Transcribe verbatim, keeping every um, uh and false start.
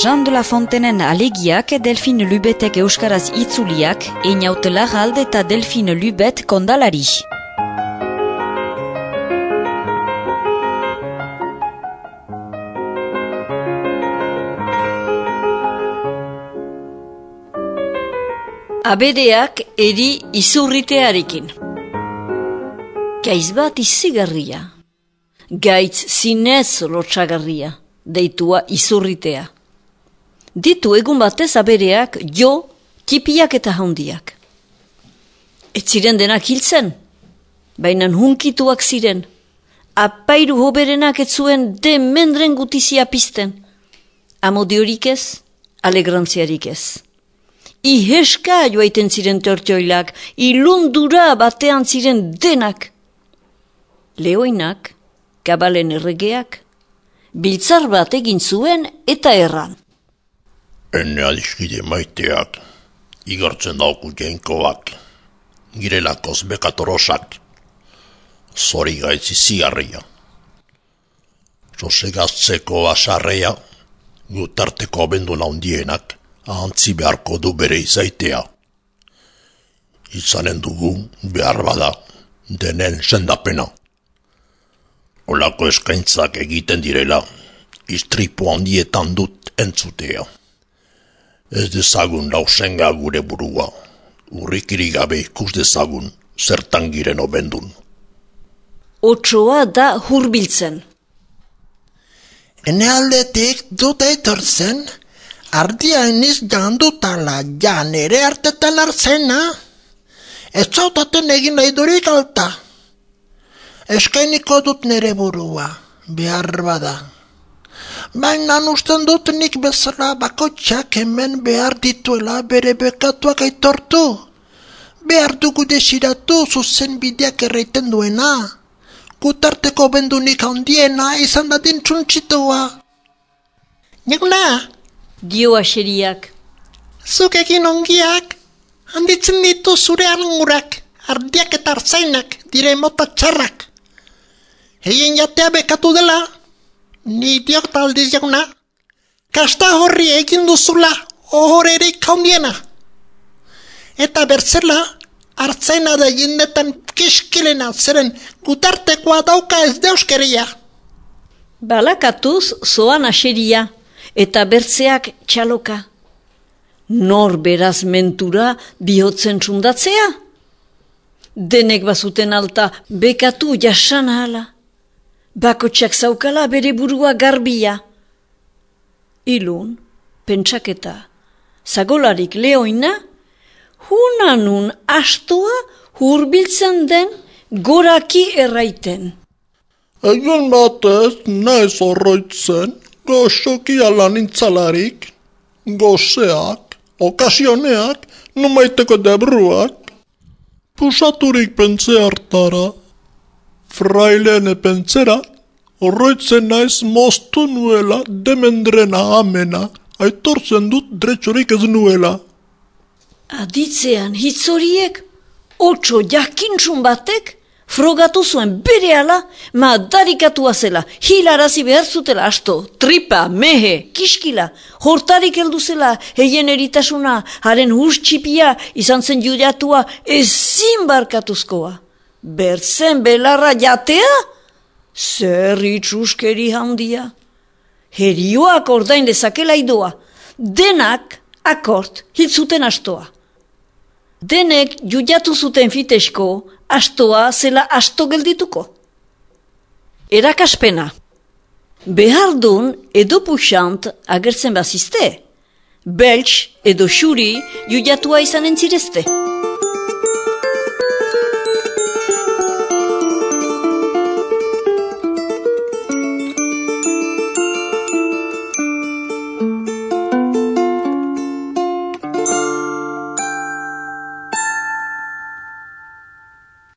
Jean de la Fontenen alegiak Delphine Lubetek euskaraz itzuliak, Einaut Larralde eta Delphine Lubet kondalari. Abereak eri izurritearekin. Gaiz bat izigarria. Gaitz zinez lotxagarria, deitua izurritea. Ditu egun batez abereak jo, tipiak eta handiak. Ez ziren denak hiltzen, baina hunkituak ziren. Apairu hoberenak ez zuen demendren gutizia pizten. Amodiorik ez, alegrantziarik ez. Iheska joaiten ziren tortioilak, ilundura batean ziren denak. Leoinak, kabalen erregeak, biltzar bat egin zuen eta erran. Ene adiskide maiteak, igartzen dauku jainkoak, girelakoz bekatorosak, zori gaitzi zigarria. Sosegaztzeko basarrea, gutarteko abenduna hundienak, ahantzi beharko du bere izaitea. Izanen dugu behar bada, denen sendapena. Olako eskaintzak egiten direla, istripu handietan dut entzutea. Ez dezagun lausenga gure burua, urrikiri gabe ikus dezagun, zertan giren obendun. Otsoa da hurbiltzen. Ene aldetik dut eitortzen, ardia eniz jandutala, jan ere hartetan arzena. Ez zautaten egin nahi durik alta. Eskainiko dut nere burua, behar bada. Baina usten dut nik bezala bakotxak hemen behar dituela bere bekatuak aitortu. Behar dugu desiratu zuzen bideak erraiten duena. Gutarteko bendunik handiena izan dadin txuntxitua. Neguna! Dio aseriak. Zuk egin ongiak, handitzen ditu zure arngurak, ardiak eta arzainak, dire mota txarrak. Heien jatea bekatu dela, ni diok taldiz jauna, kasta horri egin duzula ohorerik handiena. Eta bertzela, artzaina da jendetan kiskilena zeren gutartekoa dauka ez deuskeria. Balakatuz zoan aseria. Eta bertzeak txaloka. Nor beraz mentura bihotzen txundatzea? Denek bazuten alta bekatu jasan ahala. Bakotxak zaukala bere burua garbia. Ilun, pentsaketa, zagolarik leoina, hunanun astoa hurbiltzen den goraki erraiten. Egun batez naiz horroitzen, goxoki ala nintzalarik, gozeak, okasioneak, numaiteko debruak, pusaturik pentze hartara, frailene pentzera, horroitzen naiz moztu nuela demendrena amena, aitortzen dut dretxorik ez nuela. Aditzean hitzoriek, otso jakintxun batek, frogatu zuen berehala, ma darikatua zela, hilarazi behar zutela asto, tripa, mehe, kiskila, hortarik heldu zela, heien eritasuna, haren hurtxipia, izan zen judatua, ezin barkatuzkoa. Bertzen belarra jatea? Zer itxuskeri handia. Herioak ordain dezakela idoa, denak akort hitzuten astoa. Denek judatu zuten fitesko, astoa zela asto geldituko. Erakaspena. Behardun edo puxant agertzen bazizte. Belts edo xuri judatua izanen zirezte.